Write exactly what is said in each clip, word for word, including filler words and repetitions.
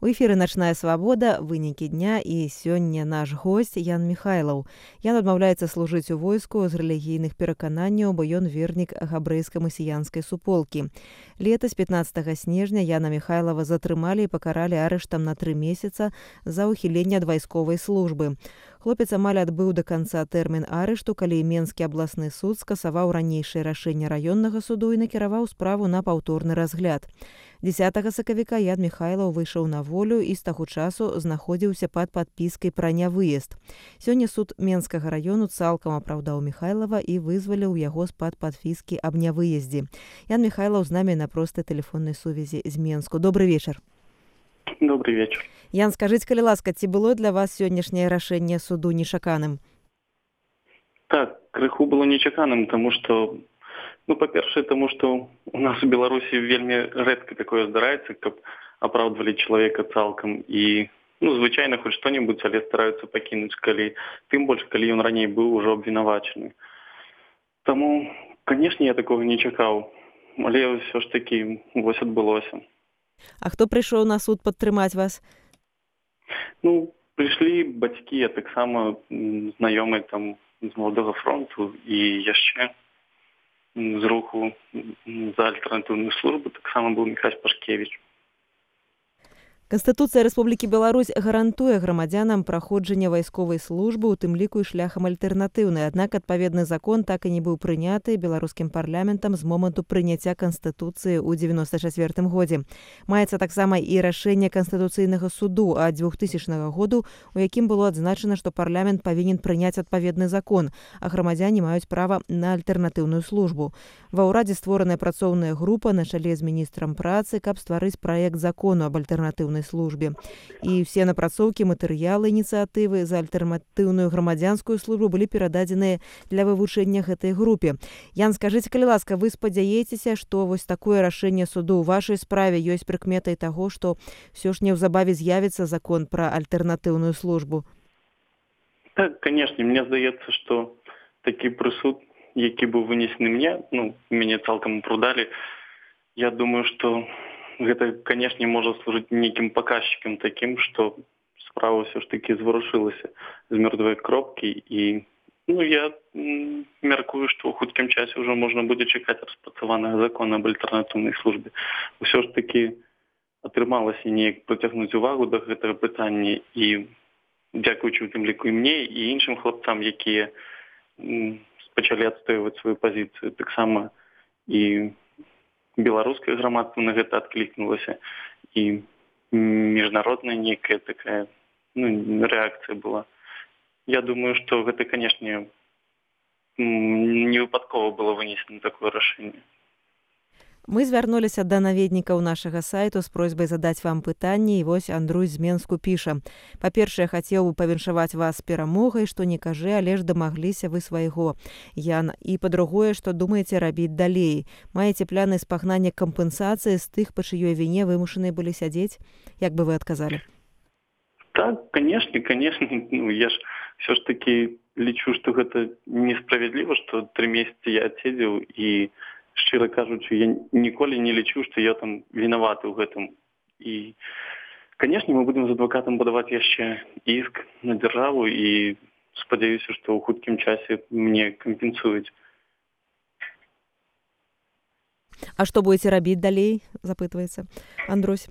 У эфіры начная свабода, вынікі дня і сёння наш госць Ян Михайлаў. Ян адмаўляецца служыць у войску з рэлігійных перакананняў, бо ён вернік габрэйска-масіянскай суполкі. Летась пятнаццатага снежня Яна Михайлава затрымалі і пакаралі арыштам на тры месяца за ўхіленне ад вайсковай службы. Хлопец амаль адбыў да канца тэрмін арышту, калі Менскі абласны суд скасаваў ранейшае рашэнне раённага суду і накіраваў справу на паўторны разгляд. дзесятага сакавіка Ян Михайлаў выйшаў на волю і з таго часу знаходзіўся пад падпіскай пра нявыезд. Сёння суд Менскага раёну цалкам апраўдаў Михайлава і вызваліў яго з-пад падпіскі аб нявыездзе. Ян Михайлаў з намі на простай тэлефоннай сувязі з Менску. Добрый вечар. Добрый вечар. Ян, скажыце, калі ласка, ці было для вас сённяшняе рашэнне суду нечаканым? Так, крыху было нечаканым, таму што ну, па-першае, таму што у нас у Беларусі вельмі рэдка такое здараецца, каб апраўдвалі чалавека цалкам і ну, звычайна хоць што-небудзь, але стараюцца пакінуць, калі тым больш, калі ён раней быў ужо абвінавачаны. Таму, канешне, я такога не чакаў, але ўсё ж такі вось адбылося. А хто прыйшоў на суд падтрымаць вас? Ну, прыйшлі бацькі, а таксама знаёмыя там з Маладога фронту і яшчэ з руху за альтэрнатыўную службу таксама быў Міхась Пашкевіч. Канстытуцыя Рэспублікі Беларусь гарантуе грамадзянам праходжанне вайсковай службы, у тым ліку і шляхам альтэрнатыўнай. Аднак адпаведны закон так і не быў прыняты беларускім парламентам з моманту прыняцця Канстытуцыі ў дзевяноста чацвёртым годзе. Маецца таксама і рашэнне Канстытуцыйнага суду ад двухтысячнага году, у якім было адзначана, што парламент павінен прыняць адпаведны закон, а грамадзяне маюць права на альтэрнатыўную службу. Ва ўрадзе створаная працоўная група на чале з міністрам працы, каб стварыць праект закону аб альтэрнатыўнай службе. І ўсе напрацоўкі, матэрыялы ініцыятывы за альтэрнатыўную грамадзянскую службу былі перададзеныя для вывучэння гэтай групе. Ян, скажыце, калі ласка, вы спадзяецеся, што вось такое рашэнне суду ў вашай справе ёсць прыкметай таго, што ўсё ж неўзабаве з'явіцца закон пра альтэрнатыўную службу? Так, канешне, мне здаецца, што такі прысуд, які быў вынесены мне, ну, мяне цалкам апраўдалі, я думаю, што гэта, канешне, можа служыць нейкім паказчыкам такім, што справа ўсё ж такі зварушылася з мёртвай кропкі і ну, я м, мяркую, што ў хуткім часе ўжо можна будзе чакаць распрацаванага закона аб альтэрнатыўнай службе. Усё ж такі атрымалася неяк прыцягнуць увагу да гэтага пытання і дзякуючы у тым ліку і мне і іншым хлапцам, якія м, пачалі адстойваць сваю пазіцыю, таксама і беларускае грамадства на гэта адклікнулася і міжнародная нейкая такая ну, рэакцыя была. Я думаю, што гэта, канешне, не выпадкова было вынесена такое рашэнне. Мы звярнуліся да наведнікаў нашага сайту з просьбай задаць вам пытанне, і вось Андруй з Менску піша. Па-першае, хацеў бы павіншаваць вас з перамогай, што не кажы, але ж дамагліся вы свайго, Ян. І па-другое, што думаеце рабіць далей? Маеце пляны спагнання кампенсацыі з тых, па чыёй віне вымушаныя былі сядзець? Як бы вы адказалі? Так, канешне, канешне. Ну, я ж все ж таки лічу, што гэта несправядліва, што тры месяцы я адседзеў і шчыра кажучы, я ніколі не лічу, што я там вінаваты ў гэтым. І, канешне, мы будзем з адвакатам будаваць яшчэ іск на дзяржаву і спадзяюся, што ў хуткім часе мне кампенсуюць. А што будзеце рабіць далей, запытваецца Андрусь.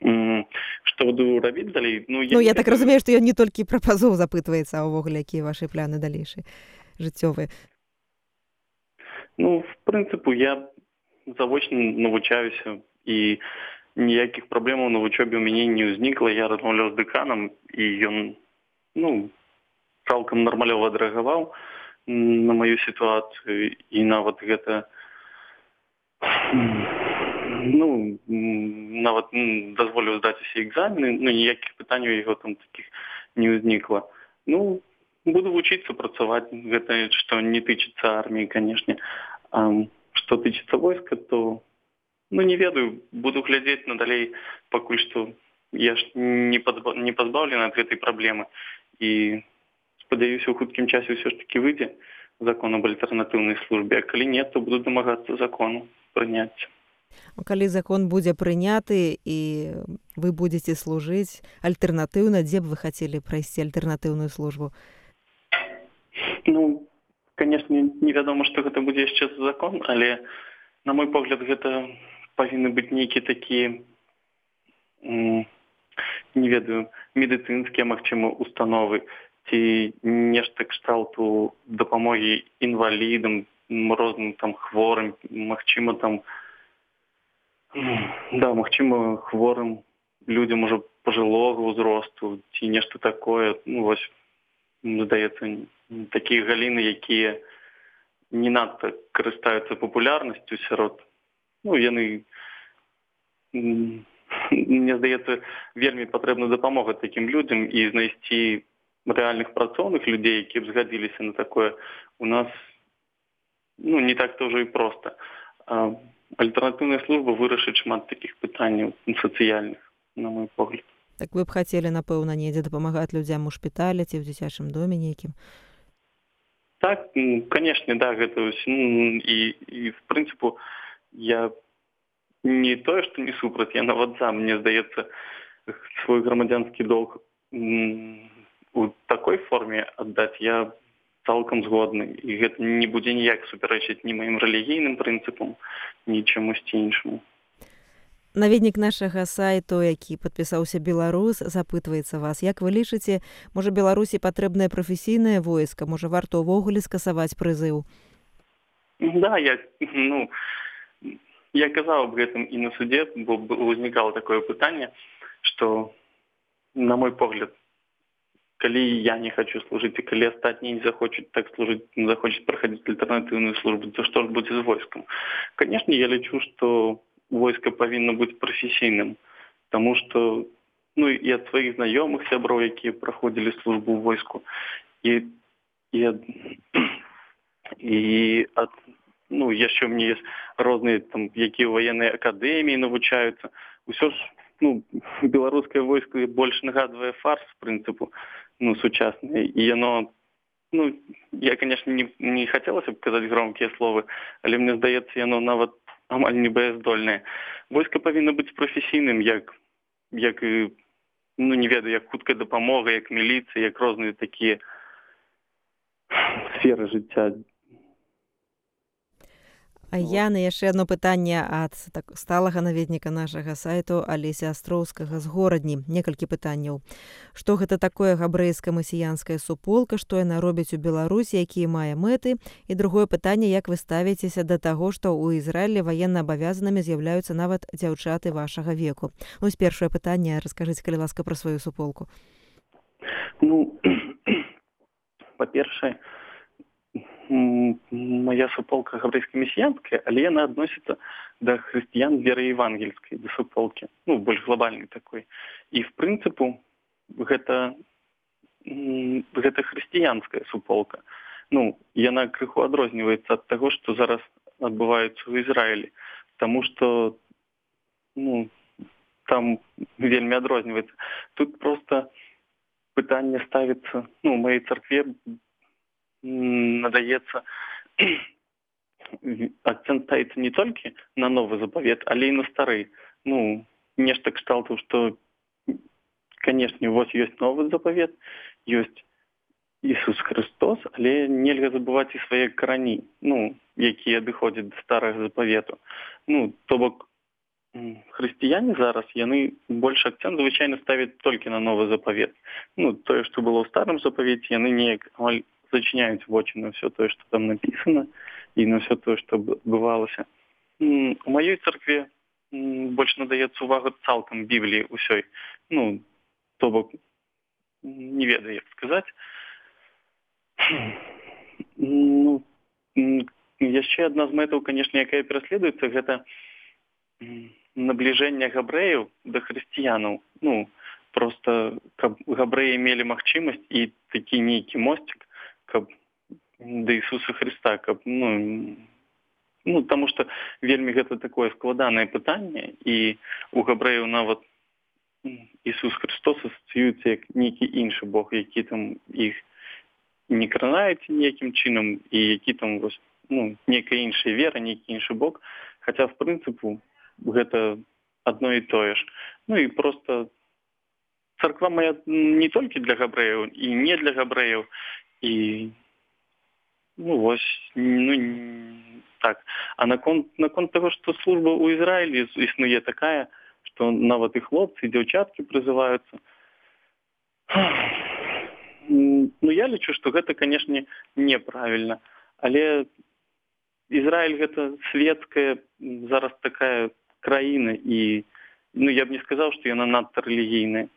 Mm, што буду рабіць далей? Ну, я, ну, я так разумею, што ён не толькі пра пазоў запытваецца, а ўвогуле, якія вашы пляны далейшыя жыццёвыя. Ну, в прынцыпу, я завочна навучаюся, і ніякіх праблемаў на вучобе ў мяне не ўзнікла. Я размаўляў з дэканам, і ён, ну, цалкам нармалёва адрэагаваў на маю сітуацыю, і нават гэта, ну, нават дазволіў здаць усе экзамены, ну, ніякіх пытанняў яго там такіх не ўзнікла. Ну, буду вучыцца працаваць, гэта што не тычыцца арміі, канешне. А што тычыцца войска, то, ну, не ведаю, буду глядзець надалей, пакуль што я ж не, пазба... не пазбаўлены ад гэтай праблемы. І спадзяюся, у хуткім часе ўсё ж такі выйдзе закон аб альтэрнатыўнай службе, а калі не, то буду дамагацца закону прыняцця. Калі закон будзе прыняты і вы будзеце служыць альтэрнатыўна, дзе б вы хацелі прайсці альтэрнатыўную службу? Ну, конечно, невядома, што гэта будзе яшчэ за закон, але, на мой погляд, гэта павінны быць нейкія такія, не ведаю, медыцынскія, магчыма, установы, ці нешта кшталту дапамогі інвалідам, розным там хворым, магчыма, там, да, магчыма, хворым людзям ужо пажылога ўзросту, ці нешта такое, ну, вось, здаецца, такія галіны, якія не надта карыстаюцца папулярнасцю сярод, ну, яны, мне здаецца, вельмі патрэбна дапамога такім людзям і знайсці рэальных працоўных людзей, які б згадзіліся на такое, у нас, ну, не так-то ўжо і проста. Альтэрнатыўная служба вырашыць шмат такіх пытанняў сацыяльных, на мой погляд. Так вы б хацелі, напэўна, недзе дапамагаць людзям у шпіталі ці ў дзіцячым доме нейкім? Так, канешне, да, гэта ну, і, і, в прынцыпу, я не тое, што не супраць, я нават за, мне здаецца, свой грамадзянскі долг у такой форме аддаць я цалкам згодны. І гэта не будзе ніяк супярэчыць ні маім рэлігійным прынцыпам, ні чамусьці іншаму. Наведнік нашага сайту, які падпісаўся беларус, запытваецца вас. Як вы лічыце, можа, Беларусі патрэбнае прафесійнае войска? Можа, варта ўвогуле скасаваць прызыў? Да, я, ну, я казаў аб гэтым і на судзе, бо ўзнікала такое пытанне, што, на мой погляд, калі я не хочу служыць, і калі астатнія не захочуць так служыць, не захочуць праходзіць альтэрнатыўную службу, то што ж будзе з войскам? Канешне, я лічу, што войска павінна быць прафесійным, таму што, ну, і ад сваіх знаёмых сяброў, якія праходзілі службу ў войску, і, і, ад, і ад, ну, яшчэ ў мне ёсць розныя, там, якія ў ваеннай акадэміі навучаюцца. Усё ж, ну, беларускае войска больш нагадвае фарс, в прынцыпу, ну, сучаснае, і яно, ну, я, конечно, не, не хацелася б казаць громкія словы, але мне здаецца, яно нават амаль не баяздольнае. Войска павінна быць прафесійным, як, як і, ну, не ведаю, як хуткая дапамога, як міліцыя, як розныя такія сферы жыцця. А я на яшчэ одно пытанне ад так, сталага наведніка нашага сайту Алеся Астроўскага з Горадні. Некалькі пытанняў. Што гэта такое габрэйска-масіянская суполка, што яна робіць у Беларусі, якія мае мэты? І другое пытанне, як вы ставіцеся да таго, што ў Ізраілі ваенна абавязанымі з'яўляюцца нават дзяўчаты вашага веку? Вось першае пытанне, раскажыце, калі ласка, пра сваю суполку. Ну, па-першае, моя суполка габрэйска-месіянская, але яна адносіцца да хрысціян веры евангельскай, да суполкі, ну, больш глобальнай такой. І, в прынцыпу, гэта, гэта хрысціянская суполка. Ну, яна крыху адрозніваецца ад таго, што зараз адбываецца ў Ізраілі, таму што, ну, там вельмі адрозніваецца. Тут проста пытанне ставіцца, ну, у маёй царкве надаецца, акцент ставіцца не толькі на новы запавет, але і на стары. Ну, нешта кшталту, што, канешне, вось ёсць новы запавет, ёсць Ісус Христос, але нельга забываць і свае карані, ну, якія адыходзяць да старага запавету. Ну, то бок, хрысціяне зараз, яны больш акцент звычайна ставяць толькі на новы запавет. Ну, тое, што было ў старым запавеце, яны неяк амаль зачиняюць вочы на все тое, што там напісана, і на все тое, што адбывалася. У маёй царкве больш надаецца увага цалкам Бібліі ўсёй. Ну, то бок, не ведаю, як сказаць. Ну, яшчэ адна з мэтаў, канешне, якая пераследуецца, гэта набліжэнне габрэяў да хрысціянаў. Ну, проста, каб габрэі мелі магчымасць і такі нейкі мосцік, каб да Ісуса Христа, каб, ну, ну, таму што вельмі гэта такое складанае пытанне, і у габрэяў нават Ісус Христос асацыюецца як нейкі іншы Бог, які там іх не кранаюць ніякім чынам, і які там, ну, нейкая іншая вера, нейкі іншы Бог. Хаця, в прынцыпу, гэта одно і тое ж. Ну і просто царква моя не толькі для габрэяў і не для габрэяў, і ну вось, ну так. А наконт наконт таго, што служба ў Ізраілі існуе такая, што нават і хлопцы, і дзяўчаткі прызываюцца. Ну я лічу, што гэта, канешне, неправільна, але Ізраіль гэта светская зараз такая краіна, і ну я б не сказаў, што яна надта рэлігійная.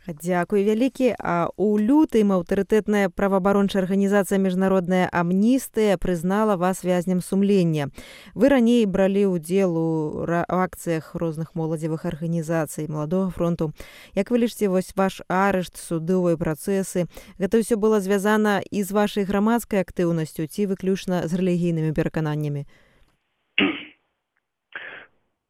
Дзякуй вялікі. А у лютым аўтарытэтная праваабарончая арганізацыя міжнародная амністыя прызнала вас вязням сумлення. Вы раней бралі ўдзел у акцыях розных моладзевых арганізацый маладога фронту. Як вы лічыце, вось ваш арышт, судовыя працэсы, гэта ўсё было звязана і з вашай грамадскай актыўнасцю ці выключна з рэлігійнымі перакананнямі?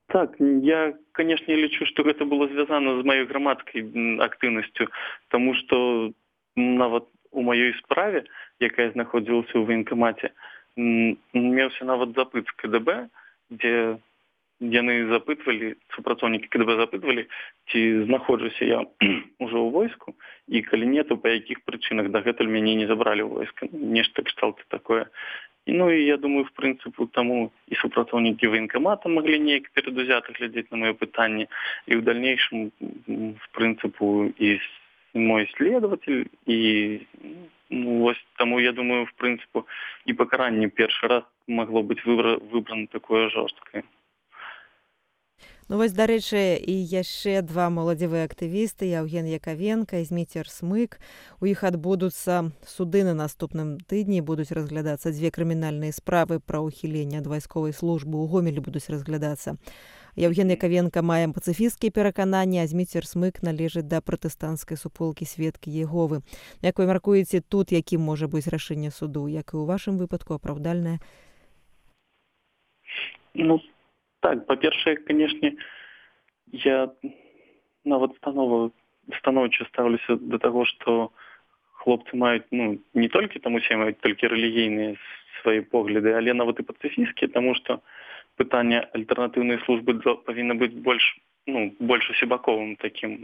Так, я, конечно, лічу, што гэта было звязана з маёй грамадскай актыўнасцю, таму што нават у маёй справе, якая знаходзілася ў ваенкамаце, меўся нават запыт з КДБ, дзе яны запытвалі, супрацоўнікі КДБ запытвалі, ці знаходжуся я ўжо ў войску, і калі не, то па якіх прычынах дагэтуль мяне не забралі ў войска. Нешта кшталту такое. Ну і я думаю, в прынцыпу, таму і супрацоўнікі ваенкамата маглі неяк перадузята глядзець на маё пытанне, і ў дальнейшым, в прынцыпу, і мой следователь, і ну, вось таму я думаю, в прынцыпу, і пакаранне першы раз магло быць выбрана такое жорсткае. Ну вось, дарэчы, і яшчэ два моладзевыя актывісты, Яўген Якавенка і Зміцер Смык. У іх адбудуцца суды на наступным тыдні, будуць разглядацца дзве крымінальныя справы пра ўхіленне ад вайсковай службы, у Гомелі будуць разглядацца. Яўген Якавенка мае пацыфісцкія перакананні, а Зміцер Смык належыць да пратэстанцкай суполкі Сведкі Єговы. Як вы мяркуеце, тут якім можа быць рашэнне суду, як і ў вашым выпадку, апраўдальнае? Ну, так, па-першае, канешне, я нават станова, станоўча стаўлюся да таго, што хлопцы маюць, ну, не толькі там усе маюць толькі рэлігійныя свае погляды, але нават і пацыфісцкія, таму што пытанне альтэрнатыўнай службы павінна быць больш, ну, больш усебаковым такім,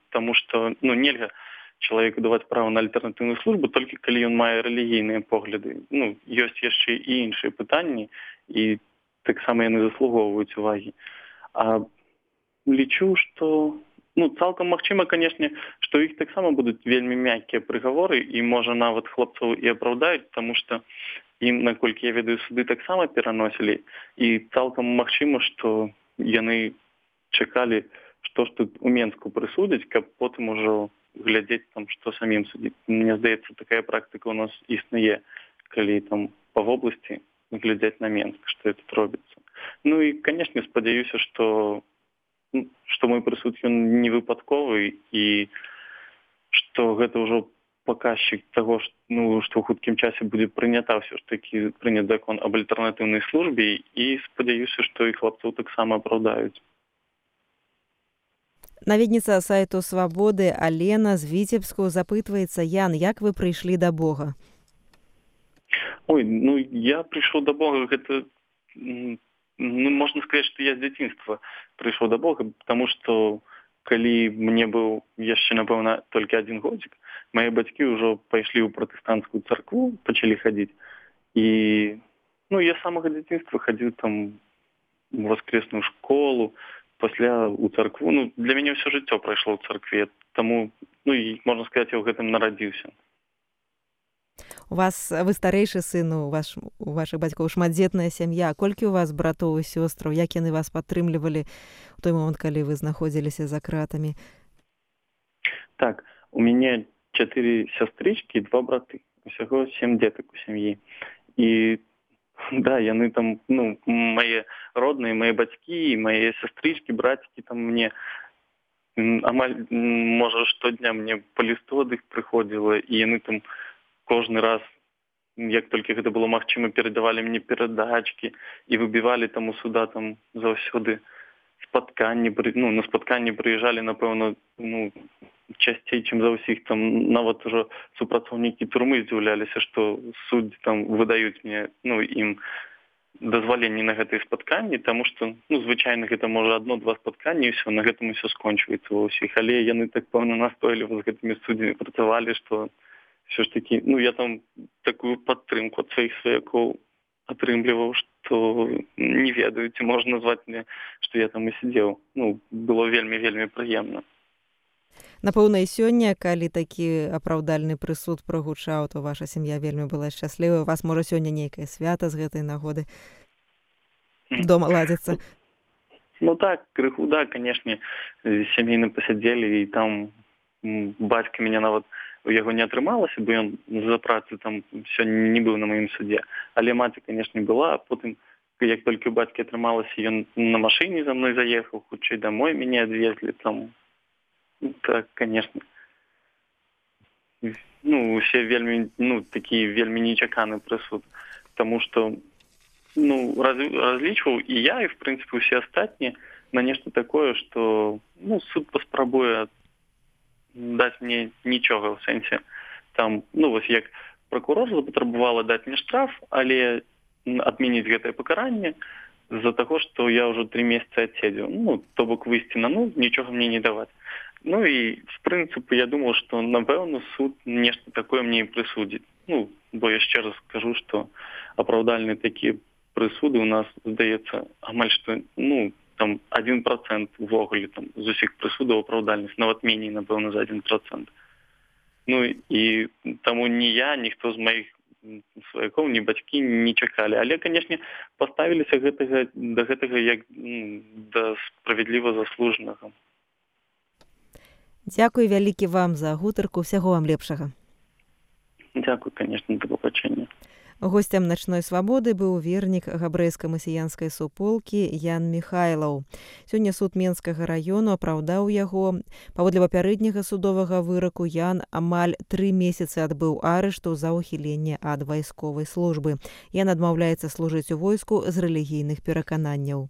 таму што, ну, нельга чалавеку даваць права на альтэрнатыўную службу толькі калі ён мае рэлігійныя погляды. Ну, ёсць яшчэ і іншыя пытанні, і таксама яны заслугоўваюць увагі. А лічу, што ну, цалкам магчыма, канешне, што іх таксама будуць вельмі мяккія прыгаворы, і можа нават хлопцаў і апраўдаюць, таму што ім, наколькі я ведаю, суды таксама пераносілі, і цалкам магчыма, што яны чакалі, што ж тут у Менску прысудзяць, каб потым ужо глядзець там, што самім судзіць. Мне здаецца, такая практыка у нас існуе, калі там па вобласці глядзець на Менск, што тут робіцца. Ну і, канешне, спадзяюся, што, што мой прысуд ён не выпадковы і што гэта ўжо паказчык таго, што, ну, што ў хуткім часе будзе прынята ўсё ж такі прынят закон аб альтэрнатыўнай службе, і спадзяюся, што і хлопцаў таксама апраўдаюць. Наведніца сайту Свабоды Алена з Віцебску запытваецца: Ян, як вы прыйшлі да Бога? Ой, ну я прыйшоў да Бога, гэта, ну, можна сказаць, што я з дзяцінства прыйшоў да Бога, таму што калі мне быў яшчэ, напэўна, толькі адзін годзік, мае бацькі ўжо пайшлі ў пратэстанцкую царкву, пачалі хадзіць. І ну, я з самага дзяцінства хадзіў там у воскресную школу, пасля ў царкву. Ну, для мяне ўсё жыццё прайшло ў царкве, таму, ну, і, можна сказаць, я ў гэтым нарадзіўся. У вас, вы старэйшы сын, у, ваш, у вашых бацькоў шматдзетная сям'я. Колькі у вас братоў і сёстраў? Як яны вас падтрымлівалі ў той момант, калі вы знаходзіліся за кратамі? Так, у мяне чатыры сястрычкі і два браты. Усяго сем дзетак у сям'і. І да, яны там, ну, мае родныя, мае бацькі, мае сястрычкі, брацікі там мне амаль, можа, штодня мне па лісту ад іх прыходзіла, і яны там кожны раз, як толькі гэта было магчыма, перадавалі мне перадачкі і выбівалі там у суда там заўсёды спатканні, ну, на спатканні прыязджалі, напэўна, ну, часцей, чым за ўсіх, там нават ужо супрацоўнікі турмы здзіўляліся, што суддзі там выдаюць мне, ну, ім дазваленне на гэтыя спатканні, таму што ну звычайна гэта можа адно-два спатканні і ўсё, на гэтым усё скончваецца ва ўсіх, але яны так пэўна настойліва з гэтымі суддзямі працавалі, што все ж таки, ну я там такую падтрымку ад сваіх сваякоў атрымліваў, што не ведаю, ці можна назваць мне, што я там і сидзеў. Ну, было вельмі-вельмі прыемна. Напэўна, і сёння, калі такі апраўдальны прысуд прагучаў, то ваша сям'я вельмі была шчаслівая. У вас, можа, сёння нейкае свята з гэтай нагоды дома ладзіцца? Ну так, крыху, да, канешне, сямейна пасядзелі, і там бацька мяне нават у яго не атрымалася, бо ён за працу там сёння не быў на маім судзе. Але маці, канешне, была, а потым, як толькі у бацькі атрымалася, ён на машыне за мной заехаў, хутчэй домой мяне адвезлі там. Так, конечно. Ну, все вельмі, ну, такі вельмі нечаканы прысуд. Таму што, ну, раз, разлічваў і я, і, в прынцыпе, усе астатнія на нешта такое, што, ну, суд паспрабуе даць мне нічога, ў сэнсе. Там, ну, вось як пракурор запатрабавала даць мне штраф, але адмяніць гэтае пакаранне з-за таго, што я ўжо тры месяцы адседзеў. Ну, то бок выйсці на нуль, нічога мне не даваць. Ну і, в прынцыпе, я думаў, што, напэўна, суд нешта такое мне і прысудзіць. Ну, бо яшчэ раз скажу, што апраўдальныя такія прысуды у нас, здаецца, амаль што, ну, там, адзін працэнт увогуле там з усіх прысудаў апраўдальных, нават меней, напэўна, за адзін працэнт. Ну і таму ні я, ніхто з маіх сваякоў, ні бацькі не чакалі. Але, канешне, паставіліся гэтага, да гэтага як ну, да справядліва заслужанага. Дзякуй вялікі вам за гутарку, усяго вам лепшага. Дзякуй, канешне, да пабачэння. Госцем начной свабоды быў вернік габрэйска-масіянскай суполкі Ян Міхайлаў. Сёння суд Менскага раёну апраўдаў яго. Паводле папярэдняга судовага выраку Ян амаль тры месяцы адбыў арышту за ўхіленне ад вайсковай службы. Ян адмаўляецца служыць у войску з рэлігійных перакананняў.